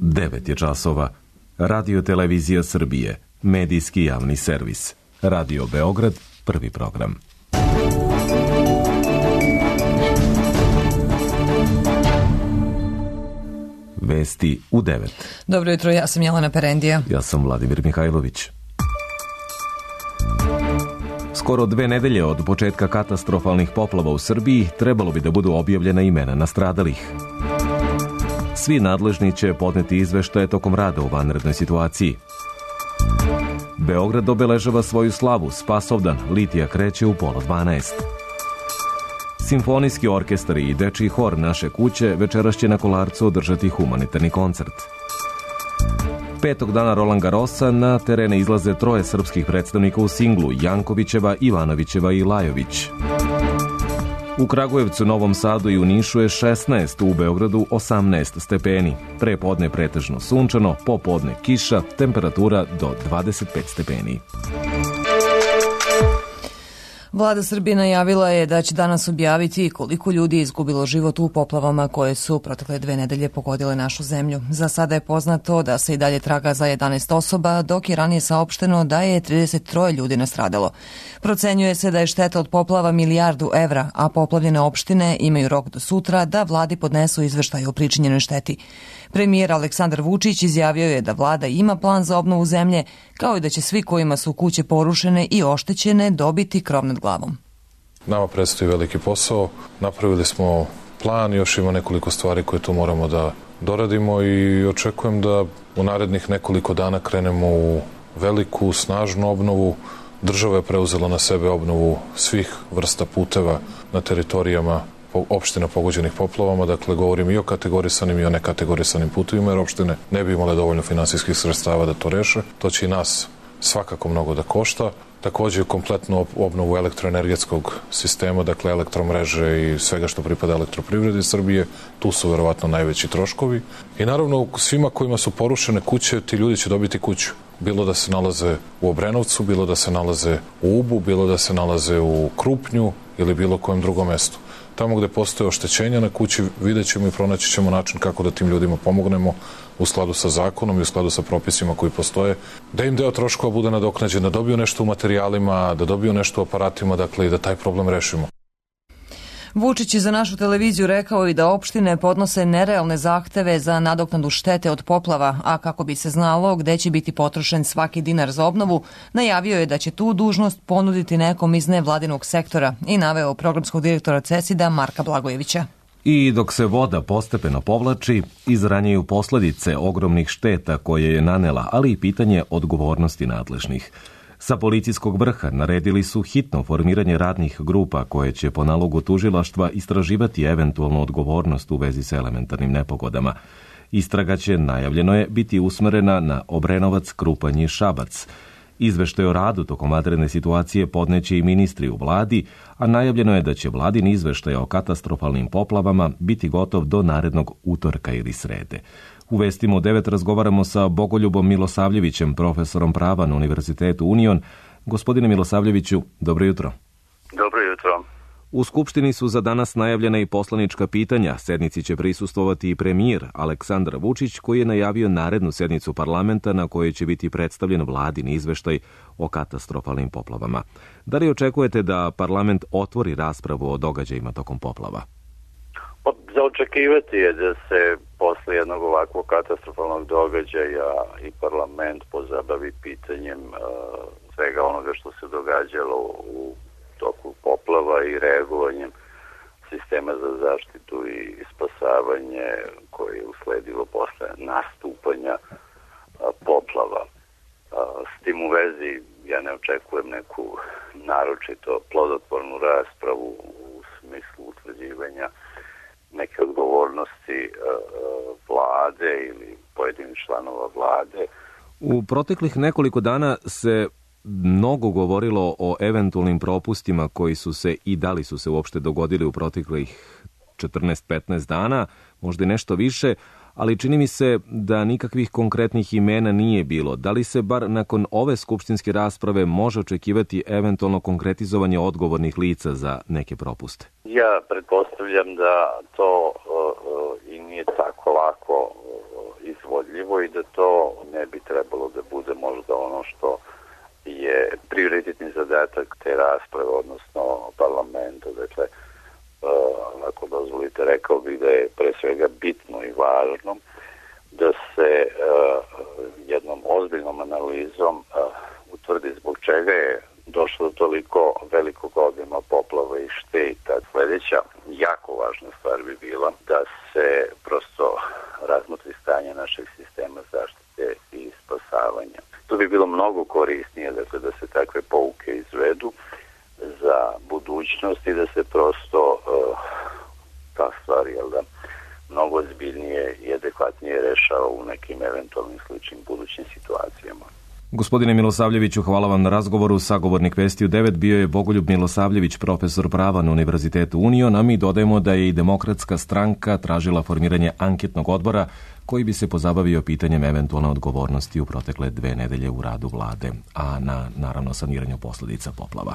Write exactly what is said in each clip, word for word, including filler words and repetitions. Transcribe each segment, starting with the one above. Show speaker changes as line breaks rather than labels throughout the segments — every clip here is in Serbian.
devet je časova. Radio Televizija Srbije, medijski javni servis. Radio Beograd, prvi program. Vesti u devet.
Dobro jutro, ja sam Jelena Perendija.
Ja sam Vladimir Mihajlović. Skoro dve nedelje od početka katastrofalnih poplava u Srbiji trebalo bi da budu objavljena imena nastradalih. Svi nadležni će podneti izveštaje tokom rada u vanrednoj situaciji. Beograd obeležava svoju slavu, Spasovdan, litija kreće u pola dvanaest. Simfonijski orkestar i dečiji hor Naše kuće večeras će na Kolarcu održati humanitarni koncert. Petog dana Roland Garrosa na terene izlaze troje srpskih predstavnika u singlu, Jankovićeva, Ivanovićeva i Lajović. U Kragujevcu, Novom Sadu i u Nišu je šesnaest, u Beogradu osamnaest stepeni. Pre podne pretežno sunčano, popodne kiša, temperatura do dvadeset pet stepeni.
Vlada Srbije najavila je da će danas objaviti koliko ljudi je izgubilo život u poplavama koje su protekle dve nedelje pogodile našu zemlju. Za sada je poznato da se i dalje traga za jedanaest osoba, dok je ranije saopšteno da je trideset troje ljudi nastradalo. Procenjuje se da je šteta od poplava milijardu evra, a poplavljene opštine imaju rok do sutra da vladi podnesu izveštaj o pričinjenoj šteti. Premijer Aleksandar Vučić izjavio je da vlada ima plan za obnovu zemlje, kao i da će svi kojima su kuće porušene i oštećene dobiti krov nad glavom.
Nama predstoji veliki posao. Napravili smo plan, još ima nekoliko stvari koje tu moramo da doradimo i očekujem da u narednih nekoliko dana krenemo u veliku, snažnu obnovu. Država je preuzela na sebe obnovu svih vrsta puteva na teritorijama opština pogođenih poplavama, dakle govorim i o kategorisanim i o nekategorisanim putevima, jer opštine ne bi imale dovoljno finansijskih sredstava da to reše. To će i nas svakako mnogo da košta. Takođe kompletnu obnovu elektroenergetskog sistema, dakle elektromreže i svega što pripada elektroprivredi Srbije, tu su verovatno najveći troškovi. I naravno svima kojima su porušene kuće, ti ljudi će dobiti kuću. Bilo da se nalaze u Obrenovcu, bilo da se nalaze u Ubu, bilo da se nalaze u Krupnju ili bilo kojem drugom mestu. Tamo gde postoje oštećenja na kući, vidjet ćemo i pronaći ćemo način kako da tim ljudima pomognemo u skladu sa zakonom i u skladu sa propisima koji postoje, da im deo troškova bude nadoknađen, da dobiju nešto u materijalima, da dobiju nešto u aparatima, dakle i da taj problem rešimo.
Vučić je za našu televiziju rekao i da opštine podnose nerealne zahteve za nadoknadu štete od poplava, a kako bi se znalo gde će biti potrošen svaki dinar za obnovu, najavio je da će tu dužnost ponuditi nekom iz nevladinog sektora i naveo programskog direktora CESID-a Marka Blagojevića.
I dok se voda postepeno povlači, izranjaju posledice ogromnih šteta koje je nanela, ali i pitanje odgovornosti nadležnih. Sa policijskog vrha naredili su hitno formiranje radnih grupa koje će po nalogu tužilaštva istraživati eventualnu odgovornost u vezi sa elementarnim nepogodama. Istraga će, najavljeno je, biti usmerena na Obrenovac, Krupanj i Šabac. Izveštaj o radu tokom vanredne situacije podneće i ministri u vladi, a najavljeno je da će vladin izveštaj o katastrofalnim poplavama biti gotov do narednog utorka ili srede. U vestima u devet razgovaramo sa Bogoljubom Milosavljevićem, profesorom prava na Univerzitetu Union. Gospodine Milosavljeviću, dobro jutro.
Dobro jutro.
U Skupštini su za danas najavljena i poslanička pitanja. Sednici će prisustvovati i premijer Aleksandar Vučić, koji je najavio narednu sednicu parlamenta na kojoj će biti predstavljen vladin izveštaj o katastrofalnim poplavama. Da li očekujete da parlament otvori raspravu o događajima tokom poplava?
Za očekivati je da se posle jednog ovakvog katastrofalnog događaja i parlament pozabavi pitanjem uh, svega onoga što se događalo u toku poplava i reagovanjem sistema za zaštitu i spasavanje koje je usledilo posle nastupanja uh, poplava. Uh, s tim u vezi ja ne očekujem neku naročito plodotvornu raspravu u smislu utvrđivanja neke odgovornosti uh, vlade ili pojedinih članova vlade.
U proteklih nekoliko dana se mnogo govorilo o eventualnim propustima koji su se i da li su se uopšte dogodili u proteklih četrnaest petnaest dana, možda i nešto više, ali čini mi se da nikakvih konkretnih imena nije bilo. Da li se bar nakon ove skupštinske rasprave može očekivati eventualno konkretizovanje odgovornih lica za neke propuste?
Ja pretpostavljam da to uh, uh, i nije tako lako uh, iz izvodljivo i da to ne bi trebalo da bude možda ono što je prioritetni zadatak te rasprave, odnosno parlamenta. Dakle, ako dozvolite, rekao bih da je pre svega bitno i važno da se jednom ozbiljnom analizom utvrdi zbog čega je došlo do toliko velikog obima poplava i šteta. Sledeća jako važna stvar bi bila da se prosto razmotri stanje našeg sistema zaštite i spasavanja. To bi bilo mnogo korisnije, dakle, da se takve pouke izvedu za budućnost i da se prosto uh, ta stvar, jel da, mnogo ozbiljnije i adekvatnije rešava u nekim eventualnim sličnim budućim situacijama.
Gospodine Milosavljeviću, hvala vam na razgovoru. Sagovornik Vesti u devet bio je Bogoljub Milosavljević, profesor prava na Univerzitetu Union, a mi dodajemo da je i Demokratska stranka tražila formiranje anketnog odbora koji bi se pozabavio pitanjem eventualne odgovornosti u protekle dve nedelje u radu vlade, a na, naravno, saniranju posledica poplava.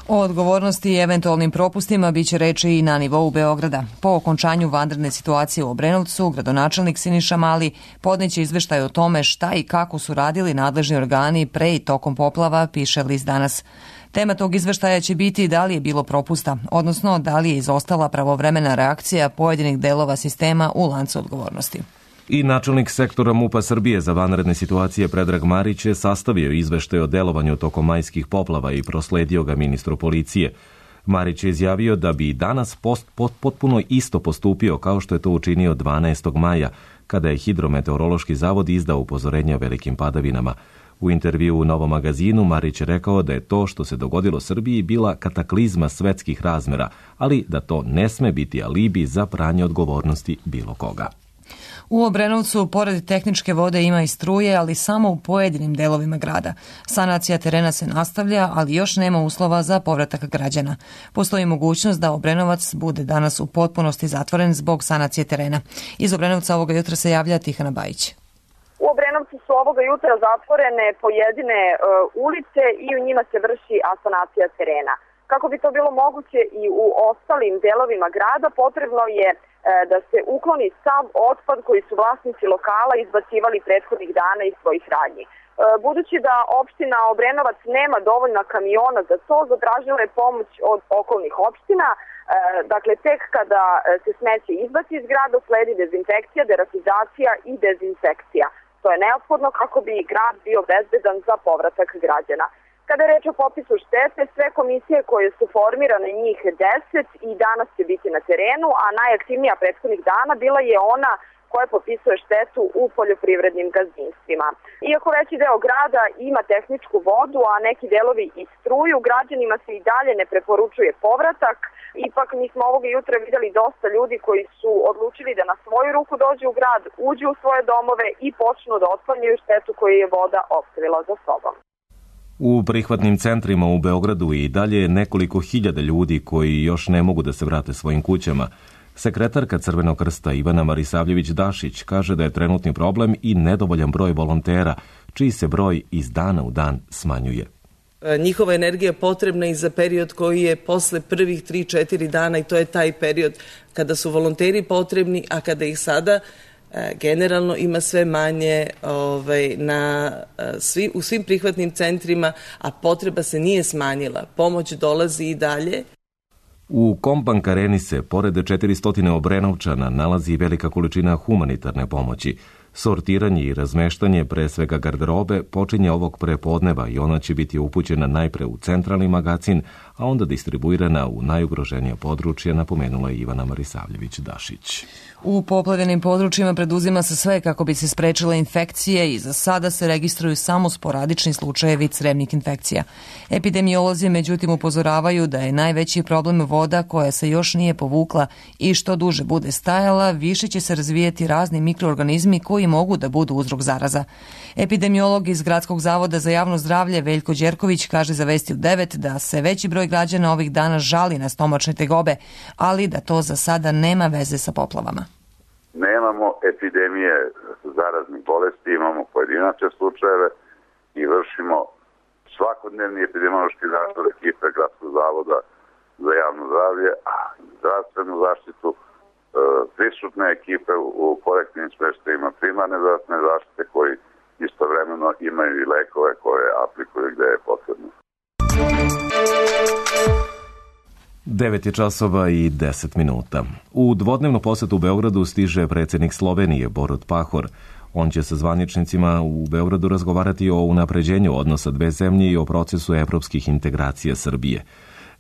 O odgovornosti i eventualnim propustima biće reči i na nivou Beograda. Po okončanju vanredne situacije u Obrenovcu, gradonačelnik Siniša Mali podneće izveštaj o tome šta i kako su radili nadležni organi pre i tokom poplava, piše list Danas. Tema tog izveštaja će biti da li je bilo propusta, odnosno da li je izostala pravovremena reakcija pojedinih delova sistema u lancu odgovornosti.
I načelnik sektora MUP-a Srbije za vanredne situacije Predrag Marić je sastavio izveštaj o delovanju tokom majskih poplava i prosledio ga ministru policije. Marić je izjavio da bi danas post, pot, potpuno isto postupio kao što je to učinio dvanaestog maja, kada je Hidrometeorološki zavod izdao upozorenje o velikim padavinama. U intervju u Novom magazinu Marić je rekao da je to što se dogodilo Srbiji bila kataklizma svetskih razmera, ali da to ne sme biti alibi za pranje odgovornosti bilo koga.
U Obrenovcu, pored tehničke vode, ima i struje, ali samo u pojedinim delovima grada. Sanacija terena se nastavlja, ali još nema uslova za povratak građana. Postoji mogućnost da Obrenovac bude danas u potpunosti zatvoren zbog sanacije terena. Iz Obrenovca ovoga jutra se javlja Tihana Bajić.
U Obrenovcu su ovoga jutra zatvorene pojedine e, ulice i u njima se vrši asanacija terena. Kako bi to bilo moguće i u ostalim delovima grada, potrebno je e, da se ukloni sav otpad koji su vlasnici lokala izbacivali prethodnih dana iz svojih radnji. E, budući da opština Obrenovac nema dovoljna kamiona za to, zatražila je pomoć od okolnih opština. E, dakle, tek kada se smeće izbaci iz grada, sledi dezinfekcija, deratizacija i dezinsekcija. To je neophodno kako bi grad bio bezbedan za povratak građana. Kada je reč o popisu štete, sve komisije koje su formirane, njih deset, i danas će biti na terenu, a najaktivnija prethodnih dana bila je ona koja popisuje štetu u poljoprivrednim gazdinstvima. Iako veći deo grada ima tehničku vodu, a neki delovi i struju, građanima se i dalje ne preporučuje povratak. Ipak mi smo ovoga jutra videli dosta ljudi koji su odlučili da na svoju ruku dođu u grad, uđu u svoje domove i počnu da otklanjaju štetu koju je voda ostavila za sobom.
U prihvatnim centrima u Beogradu i dalje je nekoliko hiljada ljudi koji još ne mogu da se vrate svojim kućama. Sekretarka Crvenog krsta Ivana Marisavljević-Dašić kaže da je trenutni problem i nedovoljan broj volontera, čiji se broj iz dana u dan smanjuje.
Njihova energija je potrebna i za period koji je posle prvih tri četiri dana, i to je taj period kada su volonteri potrebni, a kada ih sada generalno ima sve manje ovaj, na, svi, u svim prihvatnim centrima, a potreba se nije smanjila. Pomoć dolazi i dalje.
U Kombank Areni se, pored četiristo Obrenovčana, nalazi velika količina humanitarne pomoći. Sortiranje i razmeštanje, pre svega garderobe, počinje ovog prepodneva i ona će biti upućena najpre u centralni magacin, a onda distribuirana u najugroženije područje, napomenula je Ivana Marisavljević-Dašić.
U poplavljenim područjima preduzima se sve kako bi se sprečile infekcije i za sada se registruju samo sporadični slučajevi crevnih infekcija. Epidemiolozi međutim upozoravaju da je najveći problem voda koja se još nije povukla i što duže bude stajala, više će se razvijeti razni mikroorganizmi koji mogu da budu uzrok zaraza. Epidemiolog iz Gradskog zavoda za javno zdravlje Veljko Đerković kaže za Vesti u devet da se veći broj građana ovih dana žali na stomačne tegobe, ali da to za sada nema veze sa poplavama.
Nemamo epidemije zaraznih bolesti, imamo pojedinačne slučajeve i vršimo svakodnevni epidemiološki nadzor ekipe Gradskog zavoda za javno zdravlje, a zdravstvenu zaštitu prisutne ekipe u kolektivnim smeštajima primarne zdravstvene zaštite koji istovremeno imaju i lekove koje aplikuju gde je potrebno.
devet je časova i deset minuta. U dvodnevnu posetu u Beogradu stiže predsjednik Slovenije Borut Pahor. On će sa zvaničnicima u Beogradu razgovarati o unapređenju odnosa dve zemlje i o procesu evropskih integracija Srbije.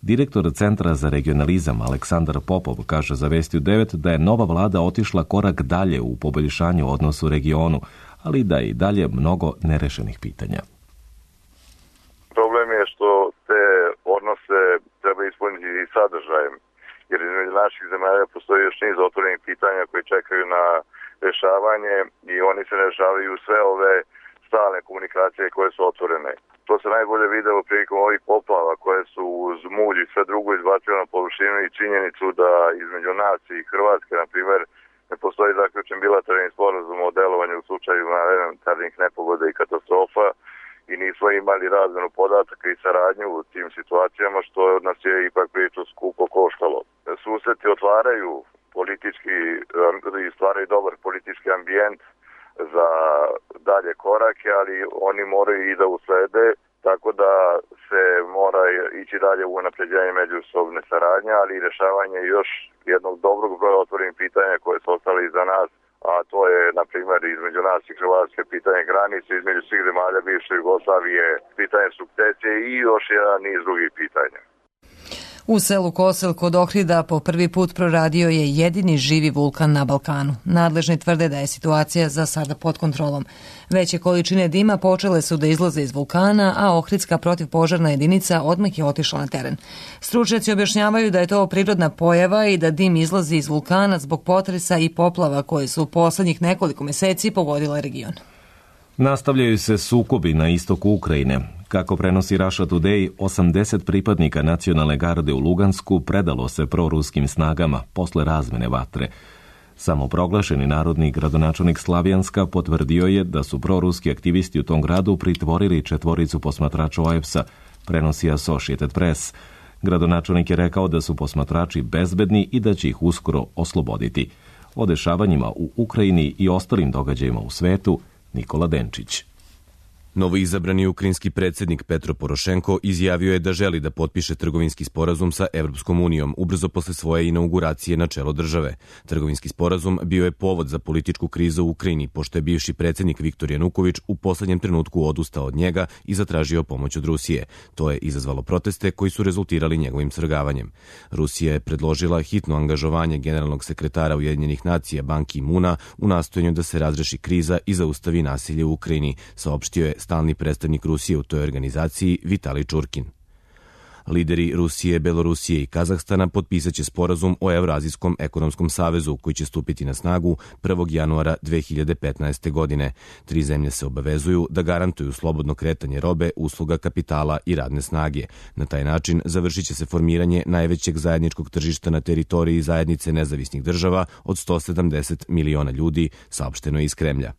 Direktor Centra za regionalizam Aleksandar Popov kaže za Vesti u devet da je nova vlada otišla korak dalje u poboljšanju odnosa u regionu, ali da je i dalje mnogo nerešenih pitanja.
Problem je što te odnose treba ispuniti i sadržajem, jer između naših zemalja postoji još niz otvorenih pitanja koji čekaju na rešavanje i oni se ne rešavaju sve ove stalne komunikacije koje su otvorene. To se najbolje videlo prilikom ovih poplava koje su uz mulj i sve drugo izbacile na površinu i činjenicu da između nas i Hrvatske, na primjer, ne postoji zaključen bilateralni sporazum o delovanju u slučaju elementarnih nepogoda i katastrofa i nismo imali razmenu podataka i saradnju u tim situacijama, što nas je ipak priču skupo koštalo. Susreti otvaraju politički i stvaraju dobar politički ambijent za dalje korake, ali oni moraju i da uslede, tako da se mora ići dalje u unapređenje međusobne saradnje, ali i rešavanje još jednog dobrog broja otvorenih pitanja koje su ostali iza nas, a to je, na primjer, između nas i Hrvatske pitanje granice, između svih zemalja bivše Jugoslavije, pitanje sukcesije i još jedan niz drugih pitanja.
U selu Kosel kod Ohrida po prvi put proradio je jedini živi vulkan na Balkanu. Nadležni tvrde da je situacija za sada pod kontrolom. Veće količine dima počele su da izlaze iz vulkana, a Ohridska protivpožarna jedinica odmah je otišla na teren. Stručnjaci objašnjavaju da je to prirodna pojava i da dim izlazi iz vulkana zbog potresa i poplava koje su u poslednjih nekoliko meseci pogodile region.
Nastavljaju se sukobi na istoku Ukrajine. Kako prenosi Russia Today, osamdeset pripadnika nacionalne garde u Lugansku predalo se proruskim snagama posle razmene vatre. Samoproglašeni narodni gradonačelnik Slavjanska potvrdio je da su proruski aktivisti u tom gradu pritvorili četvoricu posmatrača O E P S-a, prenosi Associated Press. Gradonačelnik je rekao da su posmatrači bezbedni i da će ih uskoro osloboditi. O dešavanjima u Ukrajini i ostalim događajima u svetu, Nikola Denčić.
Novoizabrani ukrajinski predsjednik Petro Porošenko izjavio je da želi da potpiše trgovinski sporazum sa Evropskom unijom ubrzo posle svoje inauguracije na čelo države. Trgovinski sporazum bio je povod za političku krizu u Ukrajini, pošto je bivši predsjednik Viktor Januković u poslednjem trenutku odustao od njega i zatražio pomoć od Rusije. To je izazvalo proteste koji su rezultirali njegovim svrgavanjem. Rusija je predložila hitno angažovanje generalnog sekretara Ujedinjenih nacija Ban Ki-muna u nastojanju da se razreši kriza i zaustavi nasilje u Ukrajini, saopštio je stalni predstavnik Rusije u toj organizaciji Vitalij Čurkin. Lideri Rusije, Belorusije i Kazahstana potpisat će sporazum o Evrazijskom ekonomskom savezu koji će stupiti na snagu prvog januara dve hiljade petnaeste. godine. Tri zemlje se obavezuju da garantuju slobodno kretanje robe, usluga, kapitala i radne snage. Na taj način završit će se formiranje najvećeg zajedničkog tržišta na teritoriji zajednice nezavisnih država od sto sedamdeset miliona ljudi, saopšteno iz Kremlja.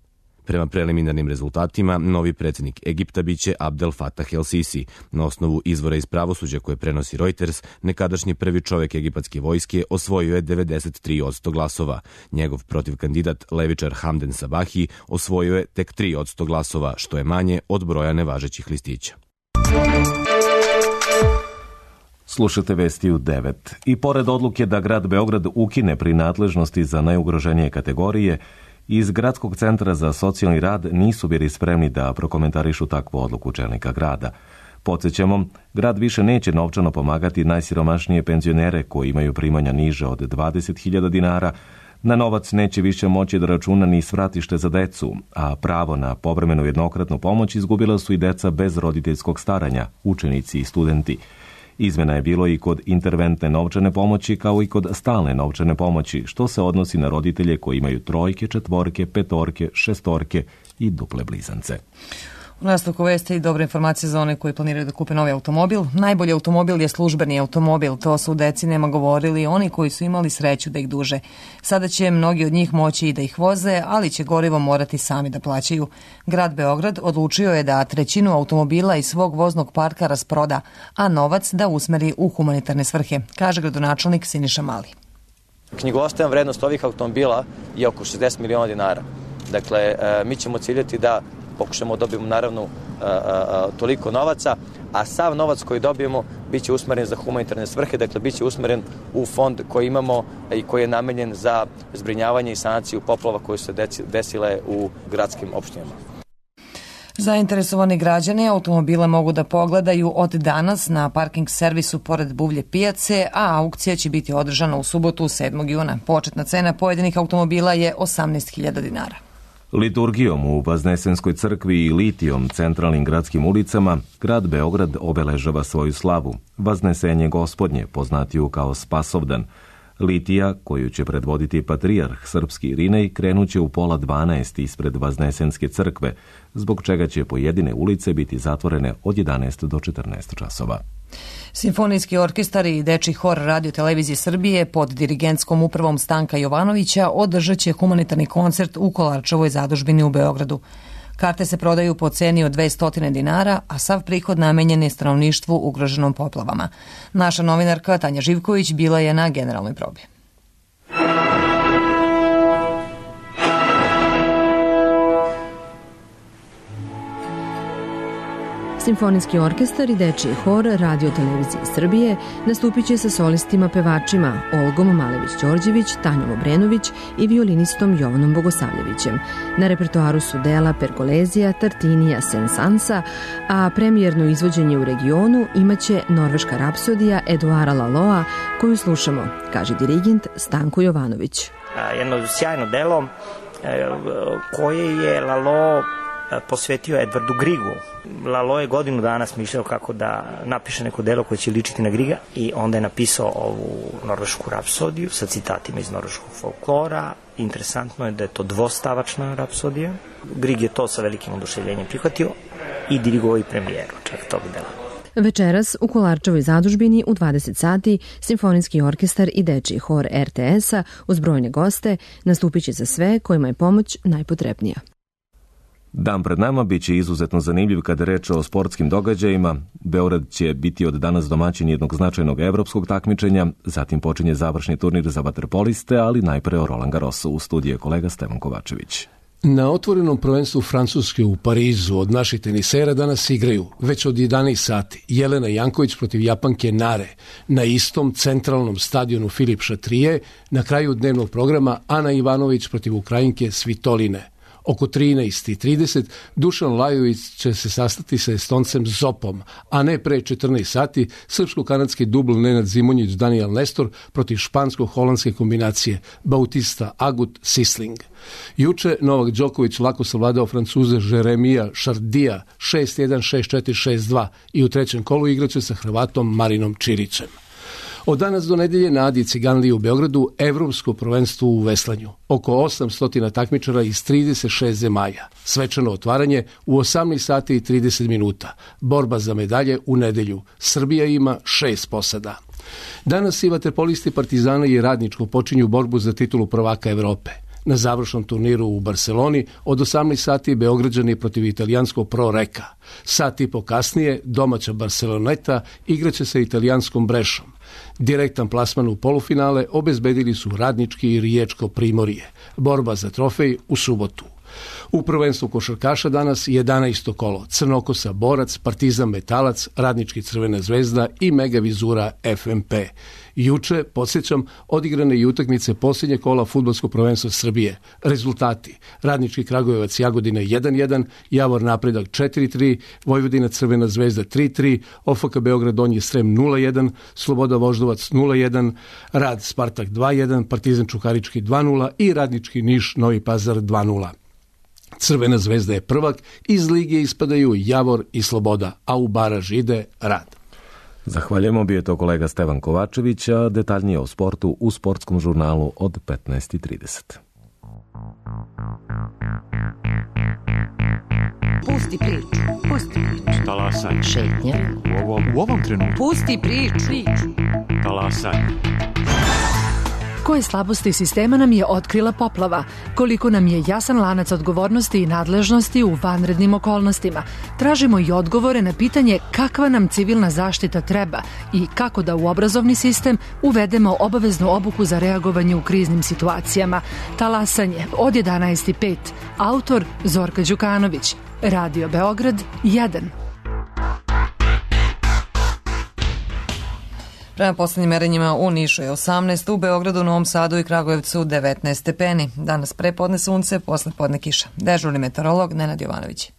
Prema preliminarnim rezultatima, novi predsjednik Egipta biće Abdel Fattah el-Sisi. Na osnovu izvora iz pravosuđa koje prenosi Reuters, nekadašnji prvi čovjek egipatske vojske osvojio je devedeset tri posto glasova. Njegov protivkandidat, levičar Hamden Sabahi, osvojio je tek tri posto glasova, što je manje od broja nevažećih listića.
Slušate Vesti u devet. I pored odluke da grad Beograd ukine prinadležnosti za najugroženije kategorije, iz Gradskog centra za socijalni rad nisu bili spremni da prokomentarišu takvu odluku čelnika grada. Podsjećamo, grad više neće novčano pomagati najsiromašnije penzionere koji imaju primanja niže od dvadeset hiljada dinara, na novac neće više moći da računa ni svratište za decu, a pravo na povremenu jednokratnu pomoć izgubila su i deca bez roditeljskog staranja, učenici i studenti. Izmena je bilo i kod interventne novčane pomoći kao i kod stalne novčane pomoći, što se odnosi na roditelje koji imaju trojke, četvorke, petorke, šestorke i duple blizance.
U nastavku vesti i dobre informacije za one koji planiraju da kupe novi automobil. Najbolji automobil je službeni automobil, to su decenijama govorili oni koji su imali sreću da ih duže. Sada će mnogi od njih moći i da ih voze, ali će gorivo morati sami da plaćaju. Grad Beograd odlučio je da trećinu automobila iz svog voznog parka rasproda, a novac da usmeri u humanitarne svrhe, kaže gradonačelnik Siniša Mali.
Knjigovodstvena vrednost ovih automobila je oko šezdeset miliona dinara. Dakle, mi ćemo ciljati da pokušamo da dobijemo naravno toliko novaca, a sav novac koji dobijemo biće usmeren za humanitarne svrhe, dakle biće usmeren u fond koji imamo i koji je namenjen za zbrinjavanje i sanaciju poplava koje su se desile u gradskim opštinama.
Zainteresovani građani automobile mogu da pogledaju od danas na parking servisu pored Buvlje pijace, a aukcija će biti održana u subotu sedmog juna. Početna cena pojedinih automobila je osamnaest hiljada dinara.
Liturgijom u Vaznesenskoj crkvi i litijom centralnim gradskim ulicama grad Beograd obeležava svoju slavu, Vaznesenje Gospodnje, poznatiju kao Spasovdan. Litija, koju će predvoditi patrijarh srpski Irinej, krenuće u pola dvanaest ispred Vaznesenske crkve, zbog čega će pojedine ulice biti zatvorene od jedanaest do četrnaest časova.
Simfonijski orkestar i Dečiji hor Radio Televizije Srbije pod dirigentskom upravom Stanka Jovanovića održat će humanitarni koncert u Kolarčevoj zadužbini u Beogradu. Karte se prodaju po ceni od dvesta dinara, a sav prihod namenjen je stanovništvu ugroženom poplavama. Naša novinarka Tanja Živković bila je na generalnoj probi.
Simfonijski orkestar i Dečiji hor Radio Televizije Srbije nastupit će sa solistima pevačima Olgom Malević-Đorđević, Tanjom Obrenović i violinistom Jovanom Bogosavljevićem. Na repertoaru su dela Pergolezija, Tartinija, Sensansa, a premijerno izvođenje u regionu imaće Norveška rapsodija Eduara Laloa, koju slušamo, kaže dirigent Stanko Jovanović.
Jedno sjajno delo koje je Lalo posvetio Edvardu Grigu. Lalo je godinu dana smišljao kako da napiše neko delo koje će ličiti na Griga i onda je napisao ovu norvešku rapsodiju sa citatima iz norveškog folklora. Interesantno je da je to dvostavačna rapsodija. Grig je to sa velikim oduševljenjem prihvatio i dirigovao i premijeru čak tog dela.
Večeras u Kolarčevoj zadužbini u dvadeset sati Simfonijski orkestar i Dečiji hor er te es-a uz brojne goste nastupit će za sve kojima je pomoć najpotrebnija.
Dan pred nama biće izuzetno zanimljiv kada je reč o sportskim događajima. Beograd će biti od danas domaćin jednog značajnog evropskog takmičenja, zatim počinje završni turnir za vaterpoliste, ali najpre o Roland Garrosu. U studiju kolega Stevan Kovačević.
Na otvorenom prvenstvu Francuske u Parizu od naših tenisera danas igraju već od jedanaest sati Jelena Janković protiv Japanke Nare. Na istom centralnom stadionu Filip Šatrije na kraju dnevnog programa Ana Ivanović protiv Ukrajinke Svitoline. Oko trinaest i trideset Dušan Lajović će se sastati sa Estoncem Zopom, a ne pre četrnaest sati srpsko-kanadski dubl Nenad Zimonjić Daniel Nestor protiv špansko-holandske kombinacije Bautista Agut Sisling. Juče Novak Đoković lako savladao Francuze Jeremija Šardija šest jedan, šest četiri, šest dva i u trećem kolu igraće sa Hrvatom Marinom Čirićem. Od danas do nedelje na Adi Ciganliji u Beogradu evropsko prvenstvo u veslanju. Oko osamsto takmičara iz trideset šest zemalja. Svečano otvaranje u osamnaest sati i trideset minuta. Borba za medalje u nedelju. Srbija ima šest posada. Danas i vaterpolisti Partizana i Radničko počinju borbu za titulu prvaka Evrope. Na završnom turniru u Barceloni od osamnaest sati Beograđani protiv italijanskog Pro Reka. Sat i po kasnije domaća Barceloneta igraće sa italijanskom Brešom. Direktan plasman u polufinale obezbedili su Radnički i Riječko Primorje. Borba za trofej u subotu. U prvenstvu košarkaša danas jedanaesto kolo. Crnokosa Borac, Partizan Metalac, Radnički Crvena zvezda i Mega Vizura ef em pe. Juče, podsjećam, odigrane i utakmice posljednje kola fudbalskog prvenstva Srbije. Rezultati: Radnički Kragujevac Jagodina jedan jedan, Javor Napredak četiri tri, Vojvodina Crvena zvezda tri tri, o ef ka Beograd Donji Srem nula jedan, Sloboda Voždovac nula jedan, Rad Spartak dva jedan, Partizan Čukarički dva nula i Radnički Niš Novi Pazar dva nula. Crvena zvezda je prvak, iz lige ispadaju Javor i Sloboda, a u baraž ide Rad.
Zahvaljujemo, bio je to kolega Stevan Kovačević, a detaljnije o sportu u sportskom žurnalu od petnaest i trideset.
Pusti priču, pusti priču. Talasaj. Šetnja. U ovom, u ovom trenutku. Pusti priču. Talasaj.
Koje slabosti sistema nam je otkrila poplava? Koliko nam je jasan lanac odgovornosti i nadležnosti u vanrednim okolnostima? Tražimo i odgovore na pitanje kakva nam civilna zaštita treba i kako da u obrazovni sistem uvedemo obaveznu obuku za reagovanje u kriznim situacijama. Talasanje od jedanaest i pet. Autor Zorka Đukanović. Radio Beograd jedan.
Prema poslednjim merenjima u Nišu je osamnaest, u Beogradu, Novom Sadu i Kragujevcu devetnaest stepeni. Danas prepodne sunce, posle podne kiša. Dežurni meteorolog Nenad Jovanović.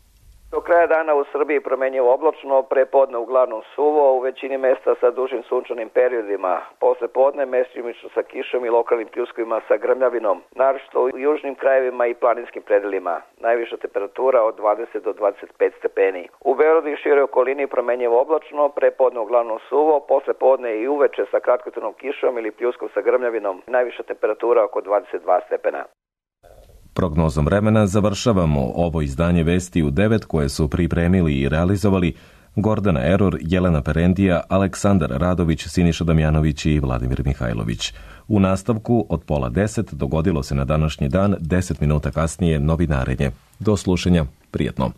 Do kraja dana u Srbiji promenjivo oblačno, prepodne uglavnom suvo, u većini mesta sa dužim sunčanim periodima. Posle podne mestimično sa kišom i lokalnim pljuskovima sa grmljavinom, naročito u južnim krajevima i planinskim predelima. Najviša temperatura od dvadeset do dvadeset pet stepeni. U Beogradu i široj okolini promenjivo oblačno, prepodne uglavnom suvo, posle podne i uveče sa kratkotrajnom kišom ili pljuskom sa grmljavinom. Najviša temperatura oko dvadeset dva stepena.
Prognozom vremena završavamo ovo izdanje Vesti u devet koje su pripremili i realizovali Gordana Eror, Jelena Perendija, Aleksandar Radović, Siniša Damjanović i Vladimir Mihajlović. U nastavku od pola deset dogodilo se na današnji dan, deset minuta kasnije novinarenje. Do slušanja, prijetno.